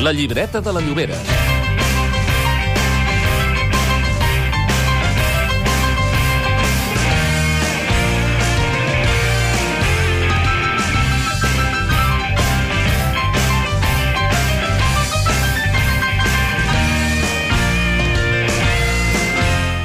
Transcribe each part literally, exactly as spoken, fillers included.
La llibreta de la Llobera.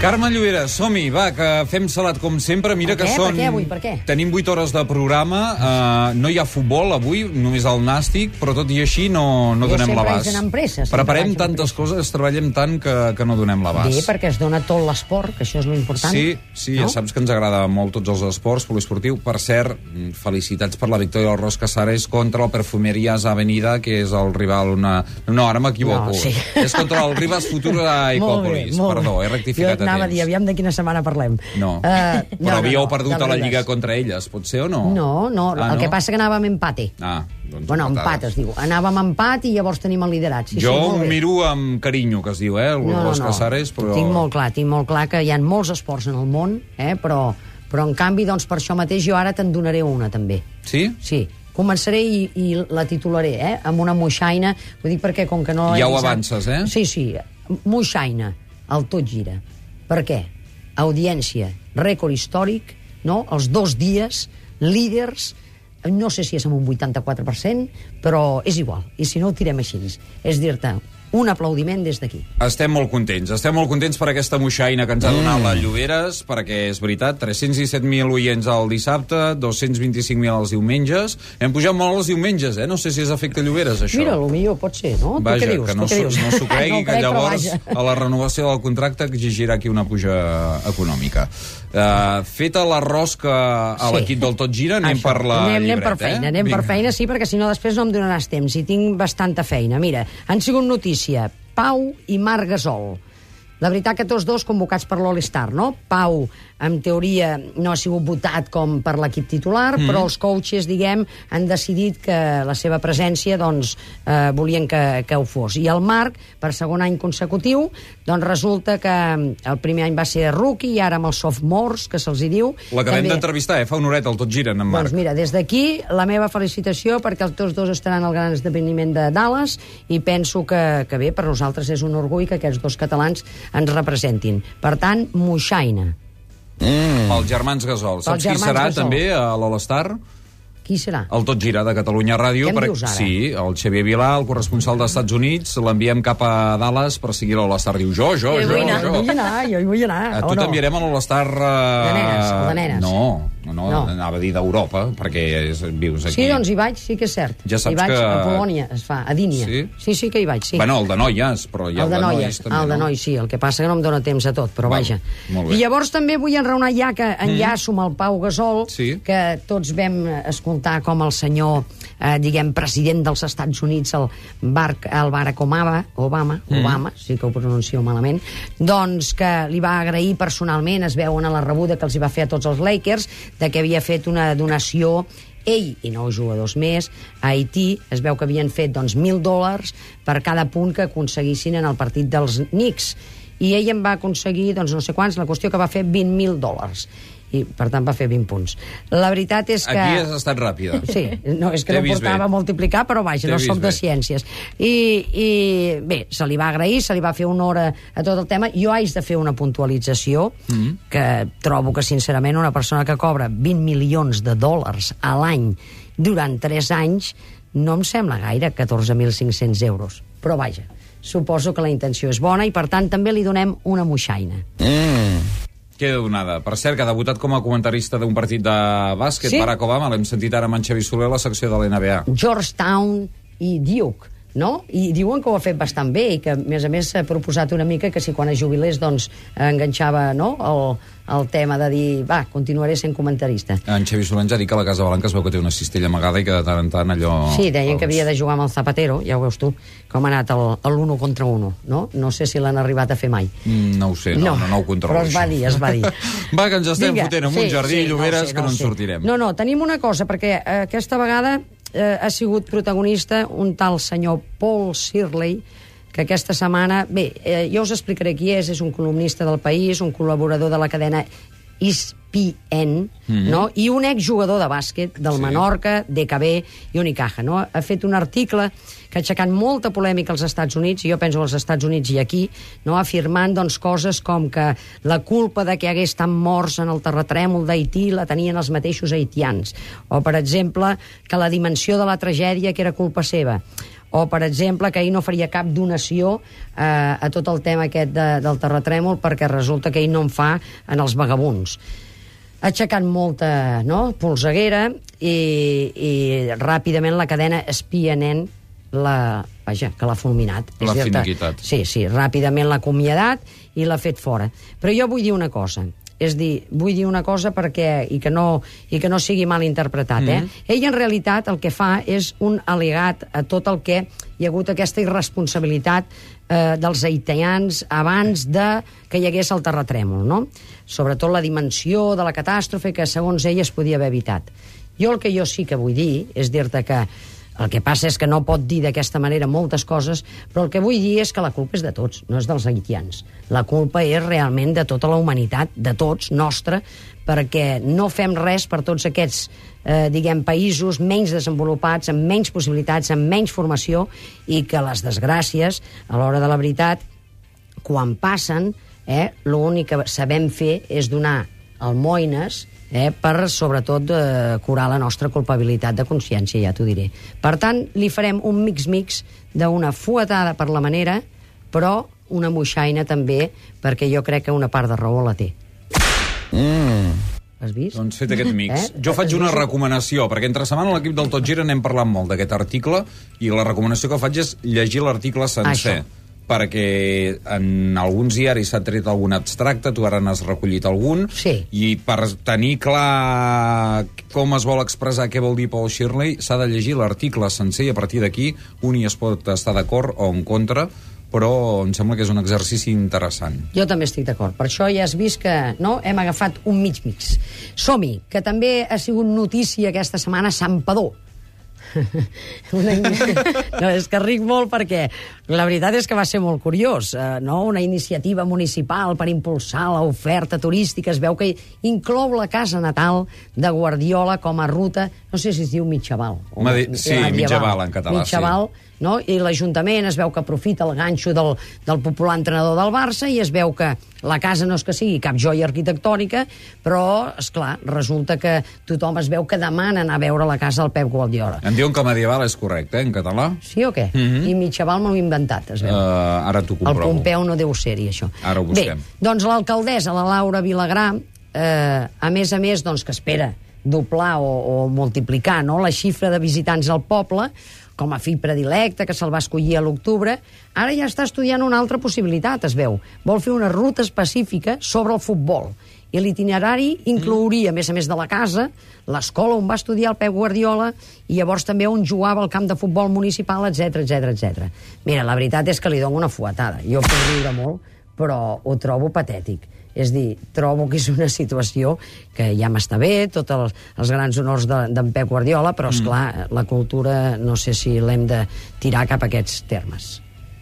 Carme Llobera, som-hi, va, que fem salat com sempre. Mira Per que què? són... Per què avui? Per què? Tenim vuit hores de programa, uh, no hi ha futbol avui, només el nàstic, però tot i així no, no Jo donem sempre l'abast. vaig anar amb pressa, sempre Preparem vaig amb tantes pressa. coses, treballem tant que, que no donem l'abast. Bé, perquè es dona tot l'esport, que això és l'important. Sí, sí, no? ja saps que ens agrada molt tots els esports, poliesportiu. Per cert, felicitats per la victòria del Ros Casares contra el Perfumerías Avenida, que és el rival... Una... No, ara m'equivoco. No, sí. És contra el Rivas Futura a Molt bé, Ecòpolis. molt Perdó, bé. he rectificat Jo anava a a dir, temps. aviam de quina setmana parlem. No. Uh, no Però havíeu no, no, perdut del a la Ribes. Lliga contra elles, pot ser o no? No, no, Ah, el no? que passa que anàvem empate. Ah, doncs Bueno, empat empatades. es diu. Anàvem empat i llavors tenim el liderat. Sí, Jo sí, ho molt bé. miro amb carinyo, que es diu, eh, el No, no, Ros no. Casares, però... Tinc molt clar, tinc molt clar que hi ha molts esports en el món, eh, però, però en canvi, doncs, per això mateix jo ara te'n donaré una, també. Sí? Sí. Començaré i, i la titularé, eh, amb una moixaina. Ho dic perquè, com que no... Ja he ho avisat- avances, eh? Sí, sí. Moixaina, el tot gira. Per què? Audiència, rècord històric, no? Els dos dies, líders, no sé si és amb un vuitanta-quatre per cent, però és igual. I si no, ho tirem així. És dir-te, un aplaudiment des d'aquí. Estem molt contents, estem molt contents per aquesta moixaina que ens ha donat mm. la Lloberes, perquè és veritat, tres-cents disset mil oients el dissabte, dos-cents vint-i-cinc mil els diumenges. Hem pujat molt els diumenges, eh? No sé si és efecte Lloberes, això. Mira, potser pot ser, no? Vaja, tu què dius? que no tu què s'ho dius? no s'ho cregui, no que crec, llavors però vaja. a la renovació del contracte exigirà aquí una puja econòmica. Uh, feta la rosca a Sí. l'equip del Tot Gira, anem Això. per la anem, anem per llibreta, feina, eh? anem Vinga. per feina, sí, perquè si no després no em donaràs temps, i tinc bastanta feina. Mira, han sigut notícia Pau i Marc Gasol. La veritat que tots dos convocats per l'All-Star, no? Pau, en teoria, no ha sigut votat com per l'equip titular, mm. però els coaches, diguem, han decidit que la seva presència, doncs, eh, volien que, que ho fos. I el Marc, per segon any consecutiu, doncs resulta que el primer any va ser rookie, i ara amb els sophomores, que se'ls hi diu... L'acabem també- d'entrevistar, eh? Fa una horeta, el Tot Gira, en Marc. Doncs mira, des d'aquí, la meva felicitació, perquè els tots dos estaran al gran esdeveniment de Dallas, i penso que, que bé, per nosaltres és un orgull que aquests dos catalans ens representin. Per tant, moixaina. Mm. Els germans Gasol. Saps qui germans serà Gasol. també a l'All-Star? Qui serà? El Tot Gira de Catalunya Ràdio. Què em per- dius ara? Sí, el Xavier Vilà, el corresponsal dels Estats Units, l'enviem cap a Dallas per seguir l'All-Star. Diu, jo, jo, Jo jo, vull anar, jo. vull anar, jo hi vull anar. A o tu no? t'enviarem a l'All-Star... Uh... De nenes, el de nenes. No, no, no, No. anava a dir d'Europa, perquè és, vius aquí. Sí, doncs hi vaig, sí que és cert. Ja saps hi vaig que- a Polònia, es fa, a Dínia. Sí? sí, sí que hi vaig, sí. Bueno, el de noies, però hi ha el de de noies, nois també, el de no? nois, sí. El que passa que no em dóna temps a tot, però Val, vaja. molt bé. I llavors també vull enraonar ja que enllaço amb el Pau Gasol, Sí. que tots vam escoltar com el senyor, eh, diguem, president dels Estats Units, el, Bar el Barack Obama, Obama, Obama, sí que ho pronuncio malament, doncs que li va agrair personalment, es veuen a la rebuda que els hi va fer a tots els Lakers, de que havia fet una donació ell i nou jugadors més a Haití. Es veu que havien fet doncs, mil dòlars per cada punt que aconseguissin en el partit dels Knicks, i ell en va aconseguir doncs, no sé quants, la qüestió que va fer vint mil dòlars, i per tant va fer vint punts. La veritat és que... Aquí has estat ràpida. Sí, no, és que T'he no vist portava bé. a multiplicar, però vaja, T'he no vist soc de bé. ciències. I, I bé, se li va agrair, se li va fer honor a, a tot el tema. Jo haig de fer una puntualització, mm. que trobo que, sincerament, una persona que cobra vint milions de dòlars a l'any durant tres anys no em sembla gaire, catorze mil cinc-cents euros. Però vaja, suposo que la intenció és bona i, per tant, també li donem una moixaina. Mm. Queda donada. Per cert, que ha debutat com a comentarista d'un partit de bàsquet, Sí. Barack Obama, l'hem sentit ara amb en Xavi Soler a la secció de l'N B A. Georgetown i Duke, no? I diuen que ho ha fet bastant bé i que, a més a més, s'ha proposat una mica que si quan es jubilés, doncs, enganxava, no?, el, el tema de dir, va, continuaré sent comentarista. En Xavi Soler ens ha dit que a la Casa Blanca es veu que té una cistella amagada i que de tant en tant allò... Sí, deien que havia de jugar amb el Zapatero, ja ho veus tu, com ha anat l'uno contra uno, no? No sé si l'han arribat a fer mai. Mm, no ho sé, no, no, no ho controlo. però es va això. dir, es va dir. Va, que ens estem Vinga, fotent en un jardí, Lloberes, sé, que no en sé. sortirem. No, no, tenim una cosa, perquè eh, aquesta vegada eh, ha sigut protagonista un tal senyor Paul Shirley, que aquesta setmana... Bé, eh, jo us explicaré qui és, és un columnista del País, un col·laborador de la cadena Is Espien, mm-hmm. no? I un exjugador de bàsquet del sí. Menorca, D K B i Unicaja, no? Ha fet un article que ha aixecat molta polèmica als Estats Units, i jo penso als Estats Units i aquí, no? Afirmant doncs, coses com que la culpa de que hagués estat morts en el terratrèmol d'Haití la tenien els mateixos haitians, o, per exemple, que la dimensió de la tragèdia que era culpa seva, o, per exemple, que ell no faria cap donació eh, a tot el tema aquest de, del terratrèmol perquè resulta que ell no en fa en els vagabunds. Ha aixecat molta, no?, polseguera i, i ràpidament la cadena Espien la, vaja, que l'ha fulminat. L'ha finiquitat. Sí, sí, ràpidament l'ha acomiadat i l'ha fet fora. Però jo vull dir una cosa. És dir, vull dir una cosa perquè, i que no, i que no sigui mal interpretat, eh? Mm-hmm. Ell, en realitat, el que fa és un al·legat a tot el que hi ha hagut aquesta irresponsabilitat eh, dels haitians abans de que hi hagués el terratrèmol, no? Sobretot la dimensió de la catàstrofe que, segons ell, es podia haver evitat. Jo el que jo sí que vull dir és dir-te que el que passa és que no pot dir d'aquesta manera moltes coses, però el que vull dir és que la culpa és de tots, no és dels haitians. La culpa és realment de tota la humanitat, de tots, nostra, perquè no fem res per tots aquests, eh, diguem, països menys desenvolupats, amb menys possibilitats, amb menys formació, i que les desgràcies, a l'hora de la veritat, quan passen, eh, l'únic que sabem fer és donar almoines eh, per, sobretot, eh, curar la nostra culpabilitat de consciència, ja t'ho diré. Per tant, li farem un mix-mix d'una fuetada per la manera, però una moixaina també, perquè jo crec que una part de raó la té. Mm. Has vist? Doncs fet aquest mix. Eh? Jo faig una recomanació, perquè entre setmana a l'equip del Tot Gira n'hem parlat molt d'aquest article, i la recomanació que faig és llegir l'article sencer. Això. Perquè en alguns diaris s'ha tret algun abstracte, tu ara n'has recollit algun, sí. I per tenir clar com es vol expressar què vol dir Paul Shirley, s'ha de llegir l'article sencer, i a partir d'aquí un hi es pot estar d'acord o en contra, però em sembla que és un exercici interessant. Jo també estic d'acord. Per això ja has vist que no hem agafat un mig-mix. Som-hi, que també ha sigut notícia aquesta setmana Santpedor. Una no, és que ric molt perquè la veritat és que va ser molt curiós, eh, no? Una iniciativa municipal per impulsar l'oferta turística. Es veu que inclou la casa natal de Guardiola com a ruta, no sé si es diu Mitjaval. Medi... Sí, Mitjaval en català. Mitjaval, sí. No? I l'Ajuntament es veu que aprofita el ganxo del, del popular entrenador del Barça, i es veu que la casa no és que sigui cap joia arquitectònica, però, esclar, resulta que tothom es veu que demana anar a veure la casa del Pep Guardiola. Em diuen que medieval és correcte, eh, en català? Sí o què? Mm-hmm. I Mitjaval m'ho he inventat, es veu. Uh, ara t'ho comprovo. El Pompeu no deu ser-hi, això. Ara ho busquem. Bé, doncs l'alcaldessa, la Laura Vilagrà, eh, a més a més, doncs, que espera doblar o, o multiplicar, no?, la xifra de visitants al poble, com a fill predilecte, que se'l va escollir a l'octubre, ara ja està estudiant una altra possibilitat, es veu. Vol fer una ruta específica sobre el futbol. I l'itinerari inclouria, a més a més de la casa, l'escola on va estudiar el Pep Guardiola, i llavors també on jugava al camp de futbol municipal, etcètera, etcètera, etcètera. Mira, la veritat és que li dono una fuetada. Jo puc riure molt, però ho trobo patètic. És dir, trobo que és una situació que ja m'està bé, tots els, els grans honors d'en de, Pep Guardiola, però, esclar, mm. la cultura no sé si l'hem de tirar cap a aquests termes.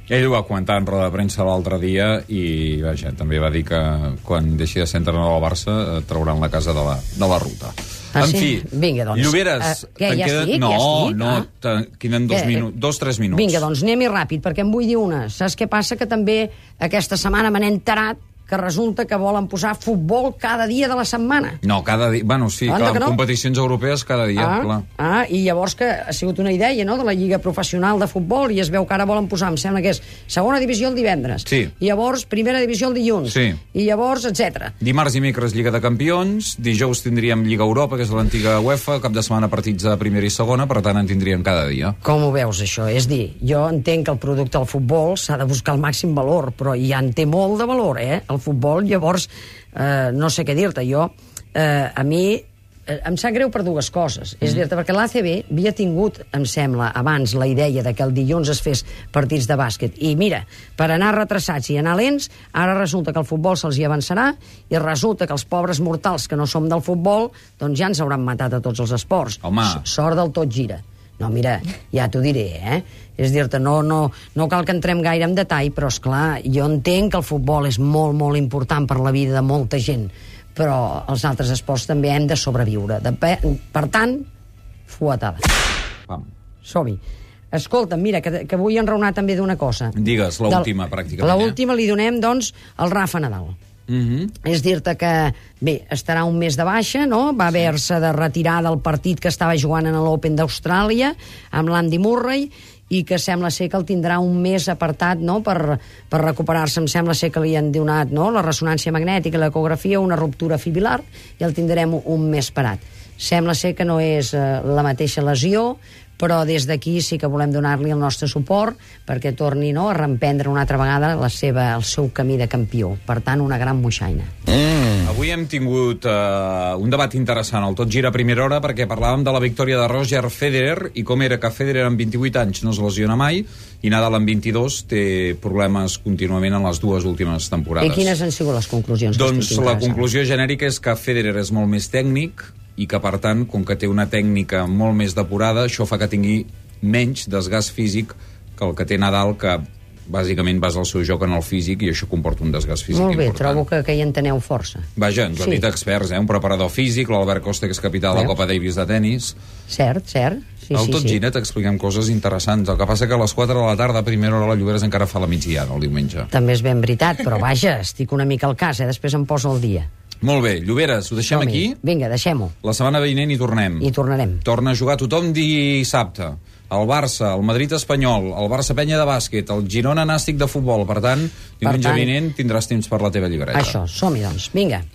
Ell ho va comentar en roda de premsa l'altre dia i, vaja, també va dir que quan deixi de ser entrenador del Barça trauran la casa de la, de la ruta. Ah, en sí? fi, Vinga, doncs. Lloberes... Uh, què, ja queden... estic? No, ja estic? no, ah. queden dos, minu... dos, tres minuts. Vinga, doncs anem-hi ràpid, perquè em vull dir una. Saps què passa? Que també aquesta setmana me n'he enterat que resulta que volen posar futbol cada dia de la setmana. No, cada dia... Bueno, sí, Anda, clar, en no? competicions europees cada dia, ah, clar. Ah, i llavors que ha sigut una idea, no?, de la Lliga Professional de Futbol, i es veu que ara volen posar, em sembla que és segona divisió el divendres, sí. I llavors primera divisió el dilluns, sí. I llavors, etcètera. Dimarts i dimecres Lliga de Campions, dijous tindríem Lliga Europa, que és l'antiga UEFA, cap de setmana partits de primera i segona, per tant en tindríem cada dia. Com ho veus, això? És dir, jo entenc que el producte del futbol s'ha de buscar el màxim valor, però ja en té molt de valor, eh? El futbol, llavors, eh, no sé què dir-te, jo, eh, a mi eh, em sap greu per dues coses. Mm. És dir-te, perquè l'A C B havia tingut, em sembla, abans la idea de que el dilluns es fes partits de bàsquet. I mira, per anar retrasats i anar lents, ara resulta que el futbol se'ls hi avançarà i resulta que els pobres mortals que no som del futbol, doncs ja ens hauran matat a tots els esports. Home. Sort del Tot Gira. No, mira, ja t'ho diré, eh? És dir-te, no, no, no cal que entrem gaire en detall, però, esclar, jo entenc que el futbol és molt, molt important per la vida de molta gent, però els altres esports també hem de sobreviure. De pe... Per tant, fuetada. Pam. Som-hi. Escolta, mira, que, que vull enraonar també d'una cosa. Digues, l'última, Del... pràcticament. L'última li donem, doncs, al Rafa Nadal. Uh-huh. És dir-te que, bé, estarà un mes de baixa, no? Va haver-se de retirar del partit que estava jugant en l'Open d'Austràlia amb l'Andy Murray, i que sembla ser que el tindrà un mes apartat, no?, per, per recuperar-se. Em sembla ser que li han donat, no?, la ressonància magnètica, l'ecografia, una ruptura fibrilar, i el tindrem un mes parat. Sembla ser que no és eh, la mateixa lesió, però des d'aquí sí que volem donar-li el nostre suport perquè torni, no?, a reemprendre una altra vegada la seva, el seu camí de campió. Per tant, una gran moixaina. Mm. Avui hem tingut uh, un debat interessant, el Tot gira a primera hora, perquè parlàvem de la victòria de Roger Federer i com era que Federer amb vint-i-vuit anys no es lesiona mai i Nadal amb vint-i-dos té problemes contínuament en les dues últimes temporades. I quines han sigut les conclusions? Doncs la conclusió genèrica és que Federer és molt més tècnic i que, per tant, com que té una tècnica molt més depurada, això fa que tingui menys desgast físic que el que té Nadal, que bàsicament basa el seu joc en el físic i això comporta un desgast físic important. Molt bé, important. trobo que, que hi enteneu força. Vaja, ens ho han Sí. dit experts, eh? Un preparador físic, l'Albert Costa, que és capità de la Veus? Copa Davis de tennis. Cert, cert. Sí, Al sí, Tot sí. gira t'expliquem coses interessants. El que passa que a les quatre de la tarda, a primera hora, la Lloberes encara fa la migdiada, el diumenge. També és ben veritat, però vaja, estic una mica al cas, eh? Després em poso al dia. Molt bé, Lloberes, ho deixem Som-hi. aquí? Vinga, deixem-ho. La setmana vinent hi tornem. I tornarem. Torna a jugar tothom dissabte. El Barça, el Madrid espanyol, el Barça Penya de bàsquet, el Girona Nàstic de futbol. Per tant, diumenge tant, vinent tindràs temps per la teva llibreta. Això, som-hi, doncs. Vinga.